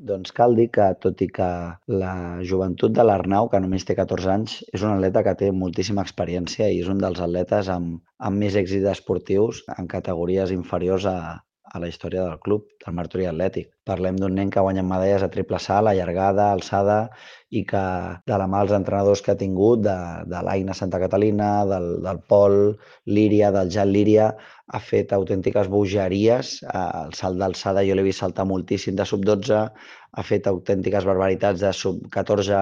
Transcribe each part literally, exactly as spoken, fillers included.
Doncs cal dir que, tot i que la joventut de l'Arnau, que només té catorze anys, és un atleta que té moltíssima experiència i és un dels atletes amb, amb més èxits esportius en categories inferiors a, a la història del club, del Martorell Atlètic. Parlem d'un nen que ha guanyat medalles a triple salt, a llargada, alçada, i que de la mà dels entrenadors que ha tingut, de, de l'Aina Santa Catalina, del, del Pol Líria, del Jan Líria, ha fet autèntiques bogeries. El salt d'alçada jo l'he vist saltar moltíssim de sub dotze, ha fet autèntiques barbaritats de sub catorze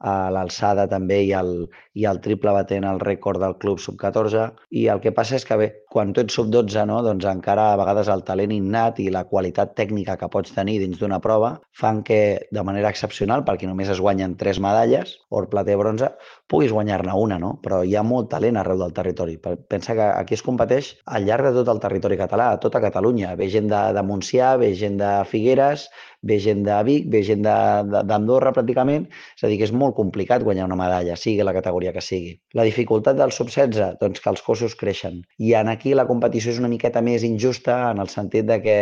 a l'alçada també i el, i el triple batent el rècord del club sub catorze. I el que passa és que, bé, quan tu ets sub dotze, no, doncs encara a vegades el talent innat i la qualitat tècnica que pots tenir dins d'una prova fan que, de manera excepcional, perquè només es guanyen tres medalles, or, plata i bronze, puguis guanyar-ne una, no? Però hi ha molt talent arreu del territori. Pensa que aquí es competeix al llarg de tot el territori català, a tota Catalunya. Ve gent de, de Montsià, ve gent de Figueres, ve gent de Vic, ve gent d'Andorra, pràcticament. És a dir, que és molt complicat guanyar una medalla, sigui la categoria que sigui. La dificultat del sub setze, doncs que els cossos creixen. I en aquí la competició és una miqueta més injusta en el sentit de que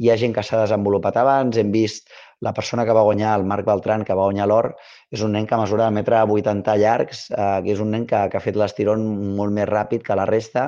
hi ha gent que s'ha desenvolupat abans. Hem vist la persona que va guanyar, el Marc Beltran, que va guanyar l'or, és un nen que mesura de metre vuitanta llargs, eh, que és un nen que, que ha fet l'estirón molt més ràpid que la resta,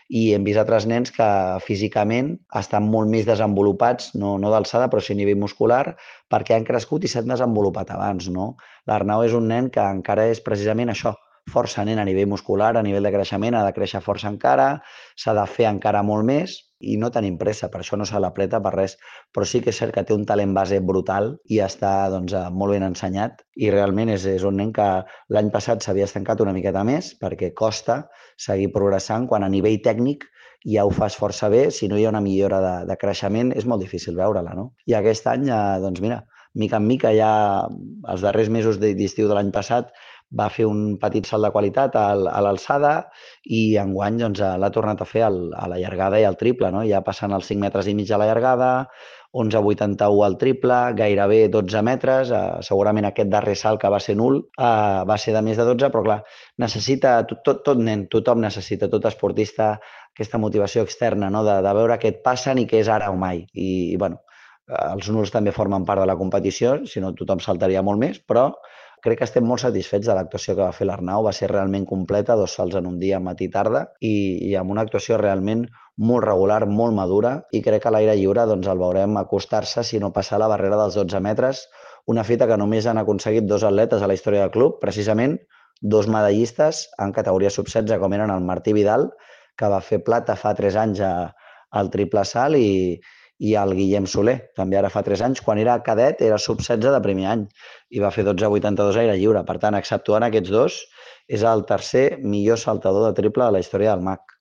i hem vist altres nens que físicament estan molt més desenvolupats, no, no d'alçada, però sí a nivell muscular, perquè han crescut i s'han desenvolupat abans, no? L'Arnau és un nen que encara és precisament això, força nen a nivell muscular, a nivell de creixement, ha de créixer força encara, s'ha de fer encara molt més i no tenim pressa, per això no se l'apreta per res, però sí que és cert que té un talent base brutal i està doncs, molt ben ensenyat i realment és, és un nen que l'any passat s'havia estancat una miqueta més perquè costa seguir progressant quan a nivell tècnic ja ho fas força bé. Si no hi ha una millora de, de creixement és molt difícil veure-la, no? I aquest any, eh, doncs mira, mica en mica, ja els darrers mesos d'estiu de l'any passat va fer un petit salt de qualitat a l'alçada i enguany doncs, l'ha tornat a fer a la llargada i al triple, no? Ja passant els cinc metres i mig a la llargada, onze coma vuitanta-u al triple, gairebé dotze metres, eh, segurament aquest darrer salt que va ser nul eh, va ser de més de dotze, però clar, necessita, tot, tot, tot nen, tothom necessita, tot esportista, aquesta motivació externa, no? de, de veure què et passen i què és ara o mai. I, i bueno, els nuls també formen part de la competició, si no tothom saltaria molt més, però crec que estem molt satisfets de l'actuació que va fer l'Arnau. Va ser realment completa, dos salts en un dia, matí i tarda, i, i amb una actuació realment molt regular, molt madura, i crec que a l'aire lliure doncs, el veurem acostar-se, si no passar la barrera dels dotze metres, una fita que només han aconseguit dos atletes a la història del club, precisament dos medallistes en categoria sub setze, com eren el Martí Vidal, que va fer plata fa tres anys a, al triple salt, i, i el Guillem Soler, també ara fa tres anys, quan era cadet, era sub setze de primer any i va fer dotze coma vuitanta-dos aire lliure. Per tant, exceptuant aquests dos, és el tercer millor saltador de triple de la història del M A C.